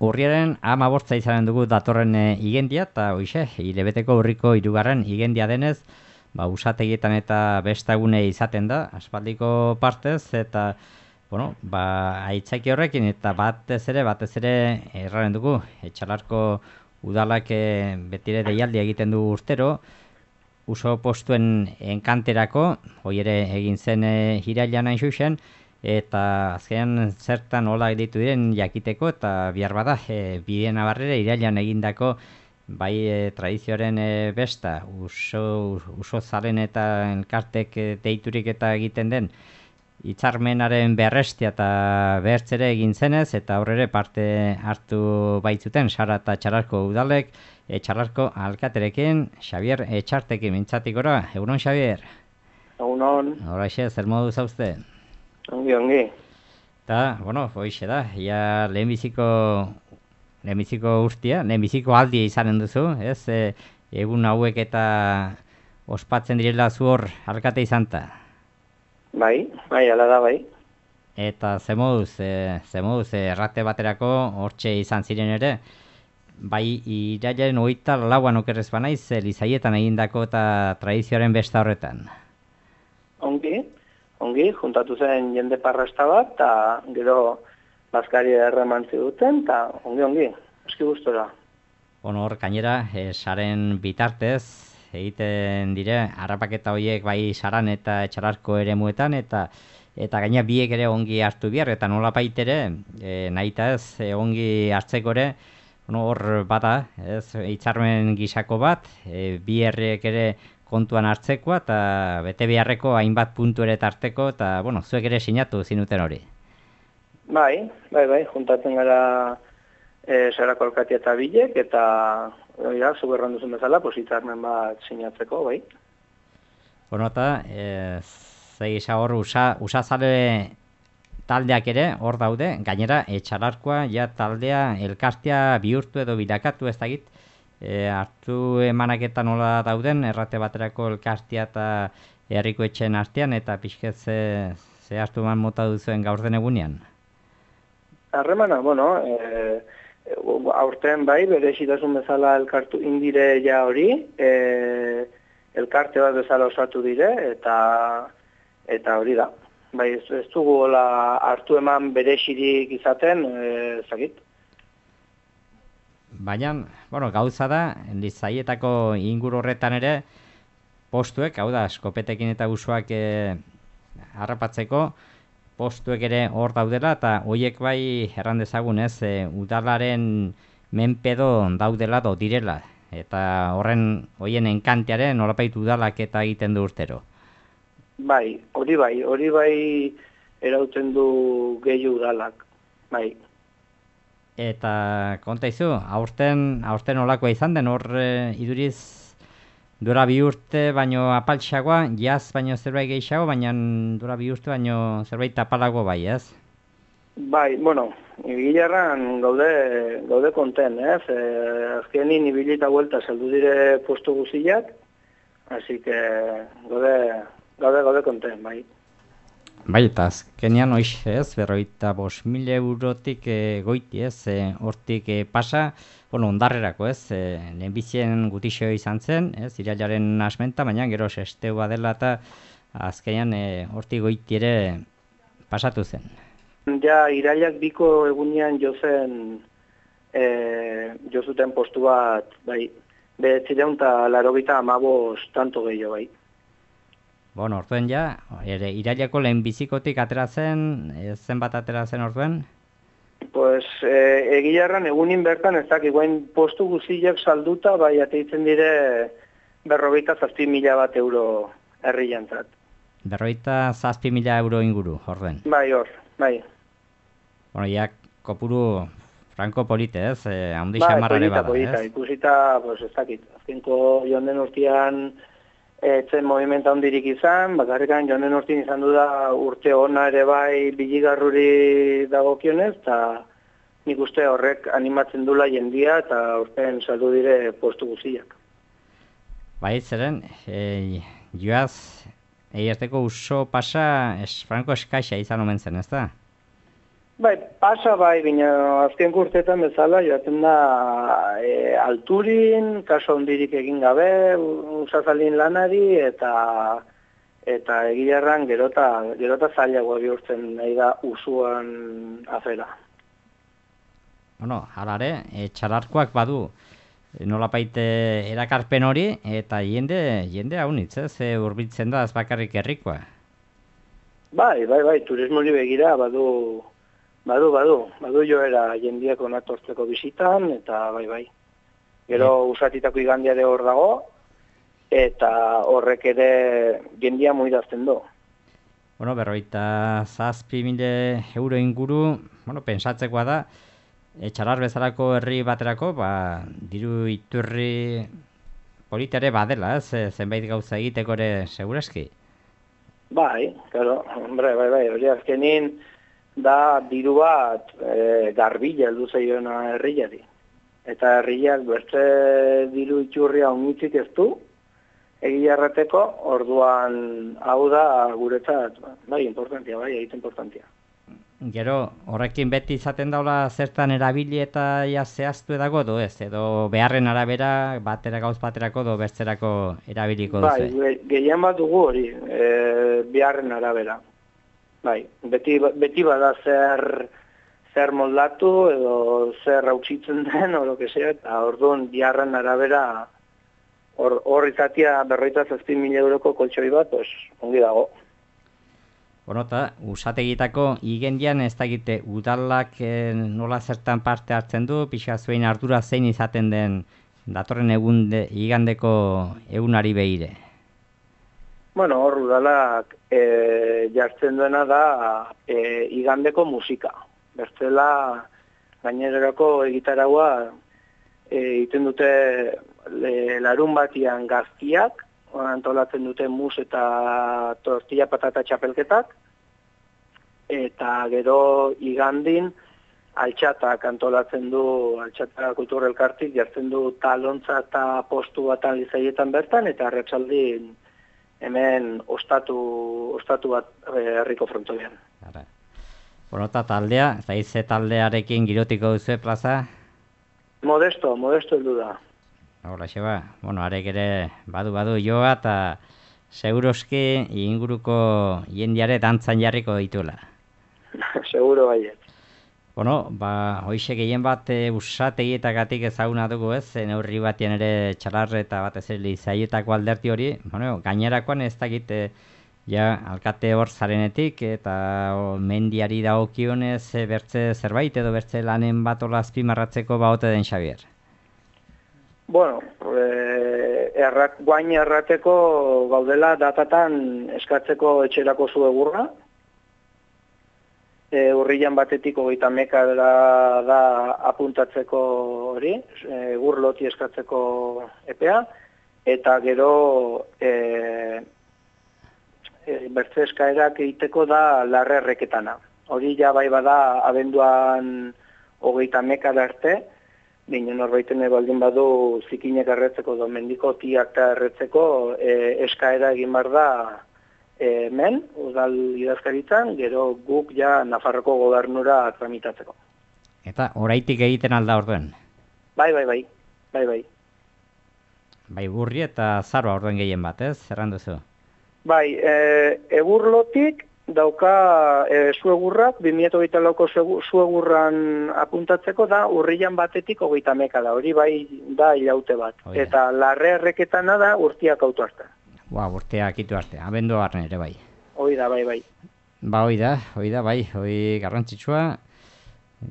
Urriaren 15 izanen dugu datorren igendia, eta hoxe, hilabeteko urriko 3. igendia denez, usategietan eta bestagune izaten da, aspaldiko partez, eta, aitzaki horrekin, eta batez ere erraren dugu, Etxalarko udalak betire deialdi egiten du urtero, uso postuen enkanterako, hoi ere egin zen irailean hain zuzen, eta azkenean zertan hola ditu diren jakiteko, eta bihar bada, bideen abarrera irailean egindako bai tradizioaren besta, uso zaren eta elkartek deiturik eta egiten den hitzarmenaren berrestia eta behertzere egin zenez, eta horrere parte hartu baitzuten Sara eta Etxalarko udalek, Etxalarko alkaterekin, Xabier Etxartekin mintzatik gora. Egunon, Xabier? Egunon. Horaxe, zer modu zauzte? Ongi. Eta, hoixe da, ja lehenbiziko urtia, lehenbiziko aldia izanen duzu, ez? Egun hauek eta ospatzen direla zu hor alkate izanta. Bai, ala da, bai. Eta ze moduz, errate baterako hortxe izan ziren ere, bai irailaren 24an okerrez banaiz, Lizaietan egindako eta tradizioaren besta horretan. Ongi, juntatu zen jende parrasta bat, eta gero bazkari erremantzi duten, eta ongi, eski gustora. Hor, gainera, saren bitartez, egiten dire, harrapaketa horiek bai Saran eta Etxalarko eremuetan, eta gaina biek ere ongi hartu behar, eta nola baitere, nahita ez, ongi hartzeko ere, hor bada, ez, hitzarmen gisako bat, bi herriek ere kontuan hartzekoa, eta bete beharreko hainbat puntu ere tarteko, eta, zuek ere sinatu zinuten hori. Bai, juntatzen gara Sarako alkatea eta bilek, eta zuk erran duzun bezala, hitzarmen bat sinatzeko, bai. Eta, zegisa hor, usazale taldeak ere hor daude, gainera Etxalarkoa ja taldea elkartea bihurtu edo bilakatu ez dakit, hartu emanak eta nola dauden, errate baterako elkartea eta herriko etxeen artean, eta pixket ze hartu eman mota duzuen gaur den egunean? Harremana, aurten bai, berezitasun bezala elkartu indire ja hori, elkarte bat bezala osatu dire, eta hori da. Bai, ez dugu hartu eman berezirik izaten, zakit. Baina, gauza da, Lizaietako inguru horretan ere, postuek, hau da, eskopetekin eta usuak harrapatzeko, postuek ere hor daudela, eta horiek bai erran dezagun ez, udalaren menpedo daudela do direla, eta horien enkantearen nolapait udalak eta egiten du urtero. Bai, hori bai erauten du gehiu udalak, bai. Eta konta izu, aurten olakoa izan den, hor iduriz dura 2 urte baino apaltxagoa, jaz baino zerbait gehiago, baina dura 2 urte baino zerbait apalago bai, ez? Bai, gilarran gaude konten, ez? Azkenin ibilita vuelta saldu dire postu guziak, así que gaude konten, bai. Bai, eta azkenean hoiz, ez, 45.000 eurotik goiti, ez, hortik pasa, ondarrerako, ez, lehenbizien gutixo izan zen, ez, irailaren asmenta, baina gero sesteua dela eta azkenean hortik goiti ere pasatu zen. Ja, irailak biko egunean jozuten postu bat, bai, 985 tanto gehiago, bai. Orduen ja, iraileko lehenbizikotik atera zen, zenbat atera zen orduen? Pues, egilarran egunin bertan ez dakik, guain postu guziak salduta, bai, ateitzen dire 47.000 bat euro herri jantzat. 47.000 euro inguru, orduen? Bai, bai. Ja, kopuru franko polite, ez? Haundi xamarrare bada, ez? Polita, ikusita, pues, ez dakit, azkenko joan den urtean, etzen movimenta hondirik izan, bakarrikan joan den urtean izan du da urte ona ere bai biligarruri dagokionez, eta nik uste horrek animatzen dula jendia, eta urtean saldu dire postu guziak. Bai, zeren, joaz, eiazteko uso pasa franko eskaixa izan omen zen, ez da? Bai, pasa bai, baina azken urteetan bezala joaten da alturin, kaso hondirik egin gabe, usazalin lanari, eta egilarran gerota zailagoa bihurtzen nahi da usuan afera. Bueno, halare, txalarkoak badu nolapait erakarpen hori, eta jende haunitz, hurbiltzen da ez bakarrik herrikoa. Bai, turismori begira badu joera jendiak onatortzeko bisitan, eta bai. Gero usatitako igandiare hor dago, eta horrek ere jendia muidazten du. Bueno, 57.000 euro inguru, pensatzekoa da, txalar bezalako herri baterako, diru iturri politare badela, zenbait gauza egiteko ere segureski. Bai, claro, bai, hori azkenin da diru bat garbila heldu zaiona herriari. Eta herriak beste diru iturria unitzik ez du, egia errateko, orduan hau da guretzat, bai, importantia. Gero, horrekin beti izaten daula zertan erabili eta zehaztu edago do ez? Edo beharren arabera, gauz baterako do bertzerako erabiliko duzu? Bai, gehien bat dugu hori, beharren arabera. Bai, beti bada zer moldatu edo zer hautsitzen den, oro que sea, eta orduan beharren arabera hor izatia 57.000 euroko koltxoi bat, ongi dago. Bueno, eta usategitako igendian ez dakite udalak nola zertan parte hartzen du, pixa zuen ardura zein izaten den datorren igandeko egunari behire. Bueno, hor udalak jartzen duena da igandeko musika. Bertzela gainerako egitaragua egiten dute larun batian gaztiak, antolatzen dute mus eta tortilla patata txapelketak, eta gero igandin altxatak antolatzen du, altxata kultur elkartik jartzen du talontza eta postu batan lizaietan bertan, eta arratsaldin hemen ostatu bat herriko frontoian. Bueno, eta taldea, eta ize taldearekin girotiko duzu plaza? Modesto heldu da. Hola, xeba, arek ere badu joa eta seguroski inguruko jendiare dantzan jarriko dituela. Seguro baiet. Hoxe gehien bat usategietagatik ezaguna dugu ez, neurri batien ere txalar eta batez ere zaietako alderti hori, gainerakoan ez dakit alkate hor zarenetik eta mendiari dagokionez bertze zerbait edo bertze lanen bat hola azpimarratzeko baote den Xabier. Bueno, guain errateko gaudela datatan eskatzeko etxerako zu egurra. Urrian batetik 30 da apuntatzeko hori, egur loti eskatzeko epea, eta gero bertze eskaerak egiteko da larre erreketana. Hori ja bai bada abenduan 30 arte, baina norbaiten baldin badu zikinek erretzeko edo mendiko tiak erretzeko eskaera egin behar da hemen, udal idazkaritzan, gero guk ja Nafarroko gobernura tramitatzeko. Eta oraitik egiten alda orduen? Bai. Bai, burri eta zaroa orduen gehien bat, ez? Zerran duzu? Bai, egurlotik dauka zuegurrak, 2024ko zuegurran apuntatzeko da urrian batetik 30 da, hori bai da ilaute bat. Eta larre erreketana da urtiak autu arte. Urteak itu arte, abendu barren ere bai. Hoi da, bai. Hoi da, bai, garrantzitsua.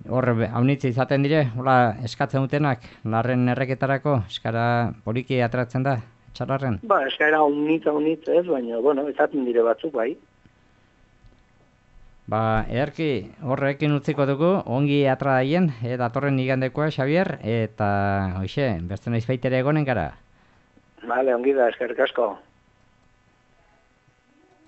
Hor, haunitze izaten dire, hola eskatzen dutenak, larren erreketarako, eskara poliki atratzen da, txalarren? Eskara haunitz ez, baina, izaten dire batzuk, bai. Ederki, horrekin utziko dugu, ongi atra daien, datorren igandekoa, Xabier, eta, hoxe, beste noiz baitere egonen gara. Vale, ongi da, eskerrik asko.